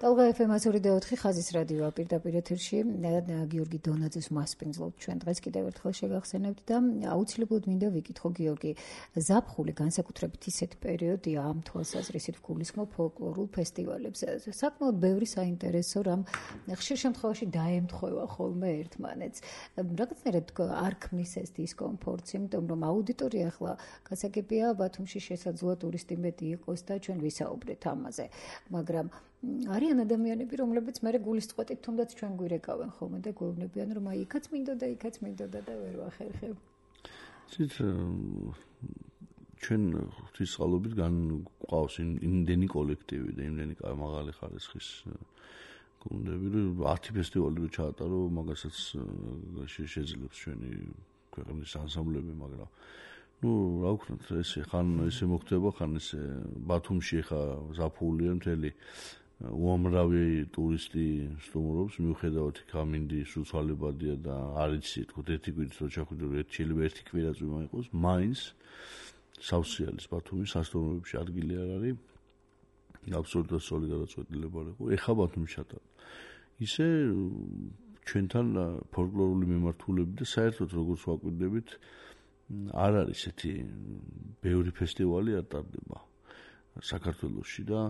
[SPEAKER 2] ტალღა FM-102.4 ხაზის რადიო პირდაპირ ეთერში გიორგი დონაძეს მასპინძლობთ ჩვენ დღეს კიდევ ერთხელ შეგახსენებთ და აუცილებლად მინდა ვიკითხო გიორგი ზაფხული განსაკუთრებით ისეთ პერიოდია ამ თვალსაზრისით გულისხმობ ფოლკლორულ ფესტივალებზე საკმაოდ ბევრი საინტერესო რამ ხშირ შემთხვევაში დაემთხვევა ხოლმე ერთმანეთს რაღაცნაირად არ ქმნის ეს დისკომფორტს იმიტომ რომ აუდიტორია ახლა გასაგებია ბათუმში შესაძლოა ტურისტი მეტი იყოს და ჩვენ ვისაუბრეთ ამაზე მაგრამ არიან ადამიანები, რომლებიც მე გულისწყოტით თუნდაც ჩვენ გვირეკავენ ხოლმე და გვეუბნებიან, რომ აი იქაც მინდოდა და ვერ ვახერხებ.
[SPEAKER 4] ცით ჩვენ ღვთისწყალობით განყავს იმდენი კოლექტივი და იმდენი მაღალი ხარისხის გუნდები, რომ 10 ფესტივალი რო ჩაატარო, მაგასაც შეძლებს ჩვენი ქვეყნის ანსამბლები, მაგრამ რა ვქნათ, ხან ესე მოხდება, ხან ესე ბათუმში ხა ზაფხულია მთელი უამრავი ტურისტი სტუმრობს, მიუხედავად კამინდი სუცვალებადია და არიცი, თქო, ერთი კვირით რო ჩახვიდე, შეიძლება ერთი კვირაც ვიმაიყოს, მაინც სავსეალის ბათუმის სასტუმროებში ადგილი არ არის. აბსოლუტურად სწორი გადაწყვეტილება იყო. ეხა ბათუმში ჩატარდა. ისე ჩვენთან ფოლკლორული მიმართულები და საერთოდ როგორც ვაკვირდებით, არ არის ესეთი ბევრი ფესტივალი არ ტარდება საქართველოში და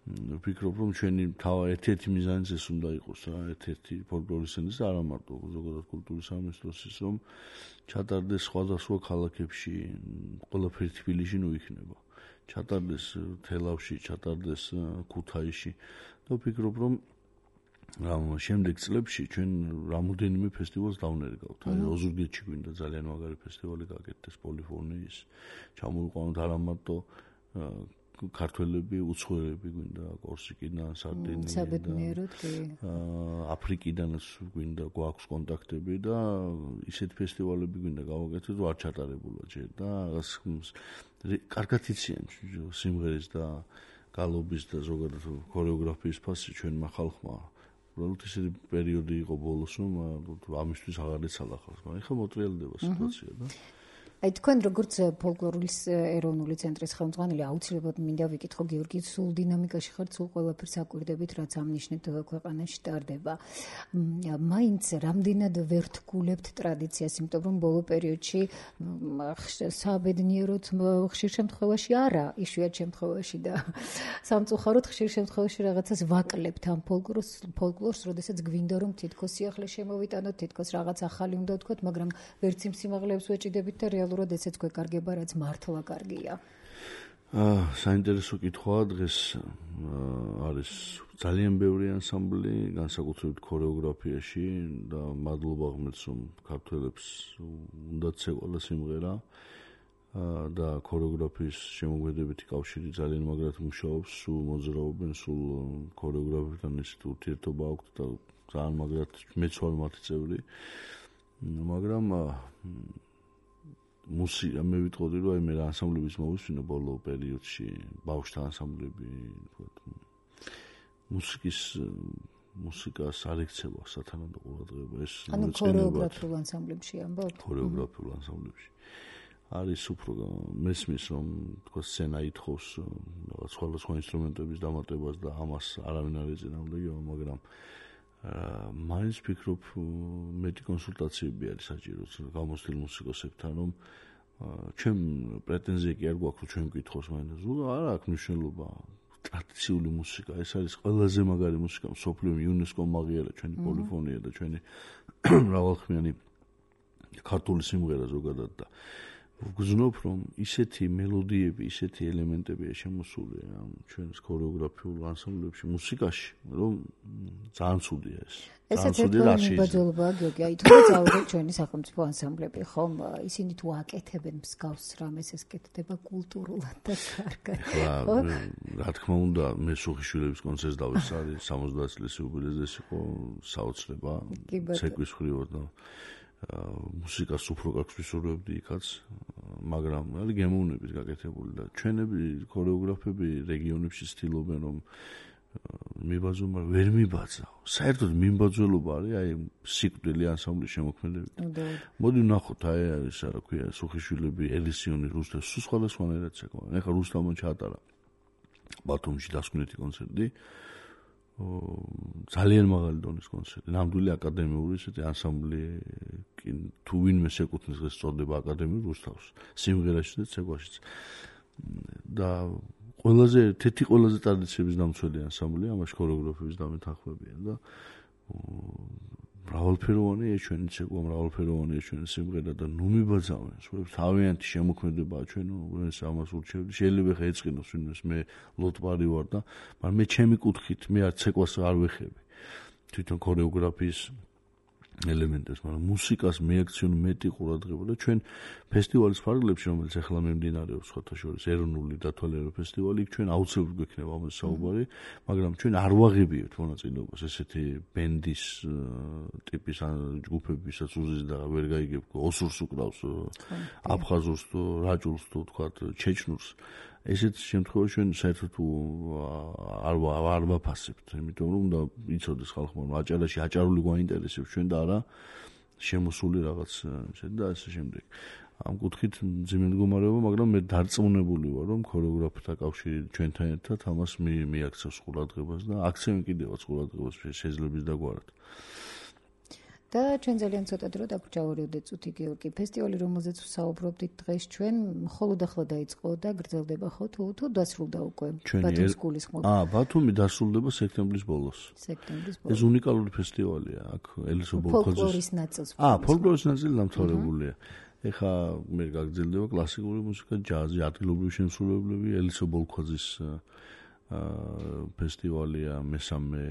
[SPEAKER 4] ვფიქრობ რომ ჩვენი ერთ-ერთი მიზანიც ეს უნდა იყოს რა ერთ-ერთი ფოლკლორის სცენის და არა მარტო ზოგადად კულტურის სამინისტროს ის რომ ჩატარდეს სხვადასხვა ქალაქებში ყველაფერი თბილისში ნუ იქნება ჩატარდეს თელავში ჩატარდეს ქუთაისში და ვფიქრობ რომ რამ შემდეგ წლებში ჩვენ რამოდენიმე ფესტივალს დავნერგავთ. აი ოზურგეთში გვინდა ძალიან მაგარი ფესტივალი გაკეთდეს პოლიფონიის. ჩამოვიყვანოთ არა მარტო ქართველები, უცხოელები გვინდა კორსიკიდან, სარდინიიდან, აფრიკიდანაც გვინდა გვაქვს კონტაქტები და ისეთ ფესტივალები გვინდა გავაკეთოთ, რომ არ ჩატარებულა ჯერ და კარგად იციან სიმღერის და გალობის და ზოგადად ქორეოგრაფიის ფასი ჩვენმა ხალხმა. უბრალოდ ისეთი პერიოდი იყო ბოლოს, რომ ამისთვის აღარ ეცალა ხალხს, მაგრამ ეხლა მოტრიალდება სიტუაცია და
[SPEAKER 2] აი თქვენ როგორც ფოლკლორული ეროვნული ცენტრის ხელმძღვანელი აუცილებლად მინდა ვიკითხო გიორგი სულ დინამიკაში ხართ სულ ყველაფერს აკვირდებით რაც ამნიშნეთ ქვეყანაში ტარდება მაინც რამდენად ვერ თგულებთ ტრადიციას იმიტომ რომ ბოლო პერიოდში საბედნიეროდ ხშირ შემთხვევაში არა იშვიათ შემთხვევაში და სამწუხაროდ ხშირ შემთხვევაში რაღაცას ვაკლებთ ამ ფოლკლორს როდესაც გვინდა რომ თითქოს სიახლე შემოვიტანოთ თითქოს რაღაც ახალი უნდა ვთქვათ მაგრამ ვერც იმ სიმაღლეებს ვეჭიდებით და რეალურად ესეც გვეკარგება, რაც მართლა კარგია.
[SPEAKER 4] საინტერესო კითხვაა დღეს არის ძალიან ბევრი ანსამბლი, განსაკუთრებით ქორეოგრაფიაში და მადლობა ღმერთს, რომ ქართველებს უნდათ ცეკვალა სიმღერა და ქორეოგრაფიის შემოქმედებითი კავშირი ძალიან მაგრად მუშაობს, სულ მოძრაობენ, სულ ქორეოგრაფებთან ისეთ ურთიერთობა აქვთ და ძალიან მაგრად მეც ვარ მათი წევრი. მაგრამ მუსიკა მე ვიტყოდი რომ აი მე ანსამბლების მოვისმინო ბოლო პერიოდში ბავშვთა ანსამბლები მუსიკას არ ექცევა სათანადო ყურადღება ეს
[SPEAKER 2] ანუ ქორეოგრაფიულ ანსამბლებში ამბობ
[SPEAKER 4] ქორეოგრაფიულ ანსამბლებში არის უფრო მესმის რომ თქო სცენა ითხოვს სხვადასხვა ინსტრუმენტების დამატებას და ამას არავინ არ ეწინააღმდეგება მაგრამ მაინც ვფიქრობ მეტი კონსულტაციები არის საჭირო გამოცდილ მუსიკოსებთან რომ ჩვენ პრეტენზია კი არ გვაქვს რომ ჩვენ ვკითხოს მაინც არა აქვს მნიშვნელობა ტრადიციული მუსიკა ეს არის ყველაზე მაგარი მუსიკა მსოფლიო იუნესკომ აღიარა ჩვენი პოლიფონია და ჩვენი მრავალხმიანი ქართული სიმღერა ზოგადად და ვგზნობ რომ ისეთი მელოდიები, ისეთი ელემენტებია შემოსული ამ ჩვენს ქორეოგრაფიულ ანსამბლებში, მუსიკაში, რომ ძალიან ცუდია ეს.
[SPEAKER 2] ესეც ერთი ბაძოლობაა, გიორგი, აი თუ წავიდეთ ჩვენი სახელმწიფო ანსამბლები, ხომ ისინი თუ აკეთებენ მსგავს რამეს ეს კეთდება კულტურულად და კარგად.
[SPEAKER 4] რა თქმა უნდა, მე სუხიშვილების კონცერტს დავისწარი 70 წლის იუბილეზე იყო საოცრება, ცეკვის ხრივად და მუსიკას უფრო გაქვს ვისურვებდი იქაც, მაგრამ არის გემოვნებით გაკეთებული და ჩვენები ქორეოგრაფები რეგიონებში ცდილობენ რომ მიბაძო, მაგრამ ვერ მიბაძავ. საერთოდ მიმბაძველობა არის აი სიკვდილი ანსამბლის შემოქმედებით. მოდი ვნახოთ აი არის რა ქვია სუხიშვილები, ელისიონი, რუსთა, სულ სხვადასხვანაირად ცეკვა. ეხლა რუსთავმა ჩაატარა ბათუმში დასკვნითი კონცერტი. ძალიან მაღალი დონის კონცერტი, ნამდვილი აკადემიური ესეთი ანსამბლი, თუ ვინმე შეკუთვნის ეს წოდება აკადემიურ რუსთავს, სიმღერაშიც და ცეკვაშიც. და თეთრი ყველაზე ტრადიციების დამცველი ანსამბლია, ამაში ქორეოგრაფების დამეთანხმებია და მრავალფეროვანია ჩვენი ცეკვა, მრავალფეროვანია ჩვენი სიმღერა და ნუ მიბაძავენ. თავიანთი შემოქმედებაა ჩვენ ეს ამას ურჩევდი. შეიძლება ხა ეწყინოს ვინმეს მე ლოტბარი ვარ და მაგრამ მე ჩემი კუთხით მე არ ცეკვას არ ვეხები. თვითონ ქორეოგრაფიის ელემენტებს, მაგრამ მუსიკას მეაქციონი მეტი ყურადღება და ჩვენ ფესტივალის ფარგლებში, რომელიც ახლა მიმდინარეობს სხვათა შორის ეროვნული დათვალიერება ფესტივალი, ჩვენ აუცილებლად გვექნება ამაზე საუბარი, მაგრამ ჩვენ არ ვაღებიებთ მონაწილეობას ესეთი ბენდის ტიპის ჯგუფებისაც უზის და ვერ გაიგებ ოსურს უკრავს, აფხაზურს თუ რაჭულს თუ თქვათ ჩეჩნურს. ესეთ შემთხვევაში ჩვენ საერთოდ არ ვაფასებთ, იმიტომ რომ უნდა იცოდეს ხალხმა, რომ აჭარაში აჭარული გვაინტერესებს ჩვენ და არა შემოსული რაღაც და ასე შემდეგ. ამ კუთხით მძიმე მდგომარეობა, მაგრამ მე დარწმუნებული ვარ, რომ ქორეოგრაფთა კავშირი ჩვენთან ერთად ამას მიაქცევს ყურადღებას და აქცევენ კიდევაც ყურადღებას შეძლების დაგვარად.
[SPEAKER 2] და ჩვენ ძალიან ცოტა დრო დაგვრჩა 2 წუთი გიორგი. ფესტივალი, რომელზეც ვსაუბრობდით დღეს ჩვენ, მხოლოდ ახლა დაიწყო და გრძელდება ხო თუ დასრულდა უკვე ბათუმის გულისხმობ?
[SPEAKER 4] ბათუმი დასრულდება სექტემბრის ბოლოს. ეს უნიკალური ფესტივალია, აქ ელისო ბოლქოძის
[SPEAKER 2] ფოლკლორის ნაწილს.
[SPEAKER 4] ფოლკლორის ნაწილი დამთავრებულია. ეხა მე გაგრძელდება კლასიკური მუსიკა, ჯაზი, ადგილობრივი შემსრულებლები, ელისო ბოლქოძის ფესტივალია მესამე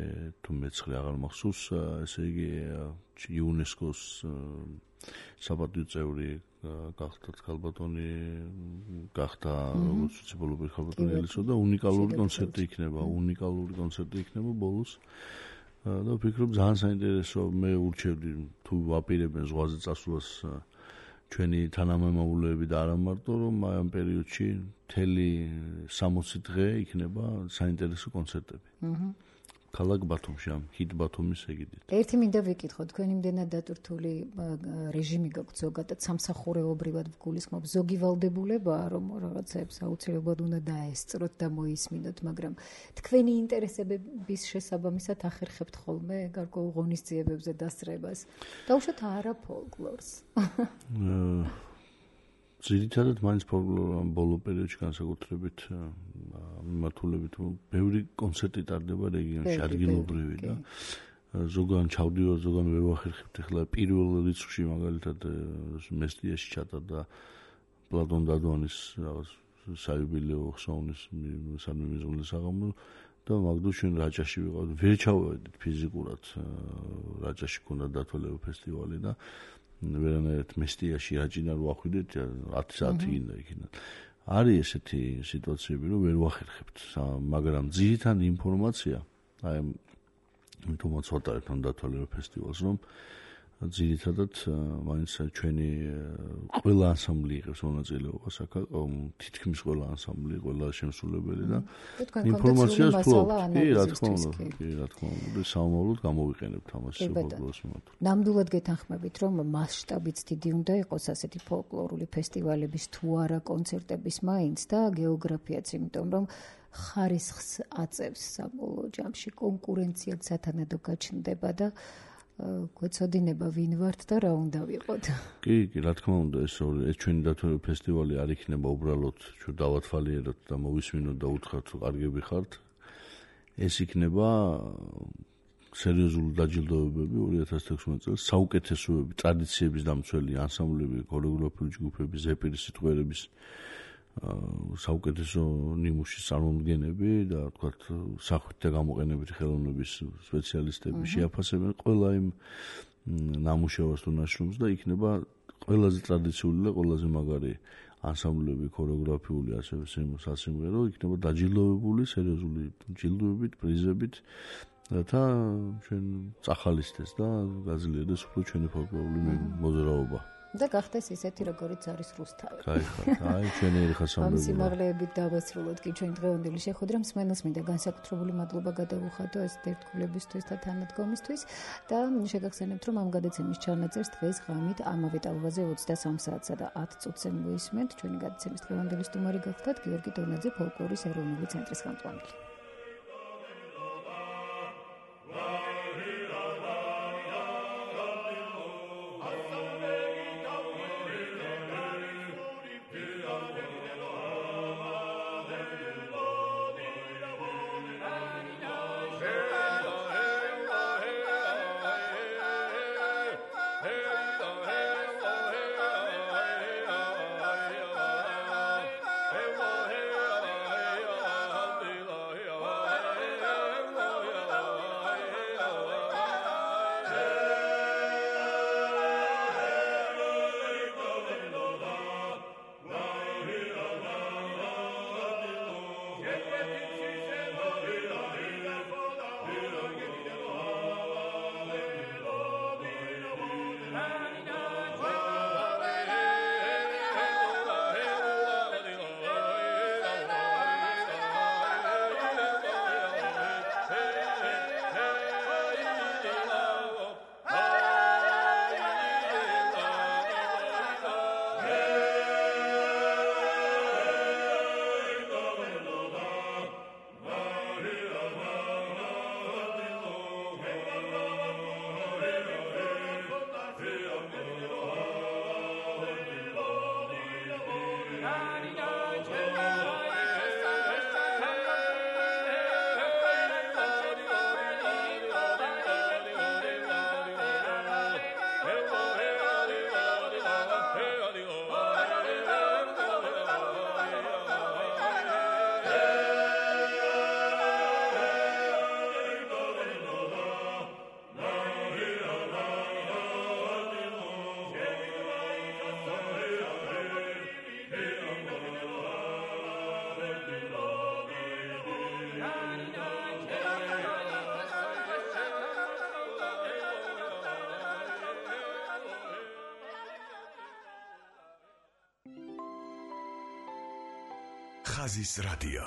[SPEAKER 4] თუ მეცხრე აღარ მახსოვს, ესე იგი იუნესკოს საპატიო წევრი გახდა ქალბატონი, გახდა როგორც ციფრული ქალბატონი ელისო და უნიკალური კონცერტი იქნება ბოლოს. და ვფიქრობ ძალიან საინტერესო, მე ურჩევდი თუ ვაპირებენ ზღვაზე წასვლას ჩვენი თანამემამულეები და არა მარტო რომ ამ პერიოდში მთელი 60 დღე იქნება საინტერესო კონცერტები. ქალაქ ბათუმში, ამ ჰიტ ბათუმის ეგიდით.
[SPEAKER 2] ერთი მინდა ვიკითხო, თქვენ იმდენად დატვირთული რეჟიმი გაქვთ ზოგადად სამსახურეობრივად გულისხმობ, ზოგი ვალდებულებაა რომ რაღაცებს აუცილებლად უნდა დაესწროთ და მოისმინოთ, მაგრამ თქვენი ინტერესების შესაბამისად ახერხებთ ხოლმე გარკვეულ ღონისძიებებზე დასწრებას. დაუშვათ არა ფოლკლორს.
[SPEAKER 4] ძირითადად მაინც ფოლკლორ ბოლო პერიოდში განსაკუთრებით მიმართულებით ბევრი კონცერტი ტარდება რეგიონში ადგილობრივი და ზოგან ჩავდივარ, ზოგან ვერ ვახერხებთ. ახლა პირველ რიცხვში მაგალითად მესტიაში ჩატარდა პლატონ დადვანის რაღაც საიუბილეო ხსოვნის სამიმიზღვლე საღამო და მაგდო ჩვენ რაჭაში ვიყავთ. ვერ ჩავედით ფიზიკურად რაჭაში ქონდა დათვალიერება ფესტივალი და ვერანაირად მესტიაში რაჭიდან ვახვიდეთ 10 საათი გინდა იქიდან. არის ესეთი სიტუაციები, რომ ვერ ვახერხებთ, მაგრამ ძირითადი ინფორმაცია, აი თუმცა ვატარებთ ამ დათვალიერება ფესტივალს, რომ ძირითადად მაინც ჩვენი ყველა ანსამბლი იღებს μονაწილეობას აქ, თითქმის ყველა ანსამბლი, ყველა შემსრულებელი და ინფორმაციას ფლობთ. კი, რა თქმა უნდა, სამომავლოდ გამოვიყენებთ ამას ფოლკლორის მიმართ.
[SPEAKER 2] ნამდვილად გეთანხმებით, რომ მასშტაბიც დიდი უნდა იყოს ასეთი ფოლკლორული ფესტივალების თუ არა კონცერტების მაინც და გეოგრაფიაც, იმიტომ რომ ხარისხს აწევს საბოლოო ჯამში, კონკურენციაც სათანადო გაჩნდება და გვეცოდინება ვინ ვართ და რა უნდა ვიყოთ.
[SPEAKER 4] კი, რა თქმა უნდა, ეს ჩვენი დათვალიერება ფესტივალი არ იქნება უბრალოდ ჩვენ დავათვალიეროთ და მოვისმინოთ და უთხრათ რომ კარგები ხართ. ეს იქნება სერიოზული დაჯილდოებები 2016 წელს საუკეთესოები, ტრადიციების დამცველი ანსამბლები, ქორეოგრაფიული ჯგუფები, ზეპირის სიტყვერების საუკეთესო ნიმუშის წარმომადგენლები და თქვათ სახვით და გამოყენებითი ხელოვნების სპეციალისტები შეაფასებენ ყველა იმ ნამუშევარს თუ ნაშრომს და იქნება ყველაზე ტრადიციული და ყველაზე მაგარი ანსამბლები, ქორეოგრაფიული ასევე სასიმღერო იქნება დაჯილდოვებული სერიოზული ჯილდოებით, პრიზებით რათა ჩვენ წახალისდეს და გაძლიერდეს უფრო ჩვენი ფოლკლორული მოძრაობა.
[SPEAKER 2] და გახდეს ისეთი როგორიც არის რუსთავი.
[SPEAKER 4] აი ჩვენი ხასამბლები.
[SPEAKER 2] ამ სიმაღლეებით დავასრულოთ კი ჩვენ დღევანდელი შეხვედრა. მსმენელს მინდა განსაკუთრებული მადლობა გადავუხადო ეს ერთგულებისთვის და თანადგომისთვის და შეგახსენებთ რომ ამ გადაცემის ჩანაწერს დღეს ღამით ამავე ტალღაზე 23 საათსა და 10 წუთზე მოისმენთ. ჩვენი გადაცემის დღევანდელი სტუმარი გახლდათ გიორგი დონაძე, ფოლკლორის ეროვნული ცენტრის ხელმძღვანელი.
[SPEAKER 5] ხაზის რადიო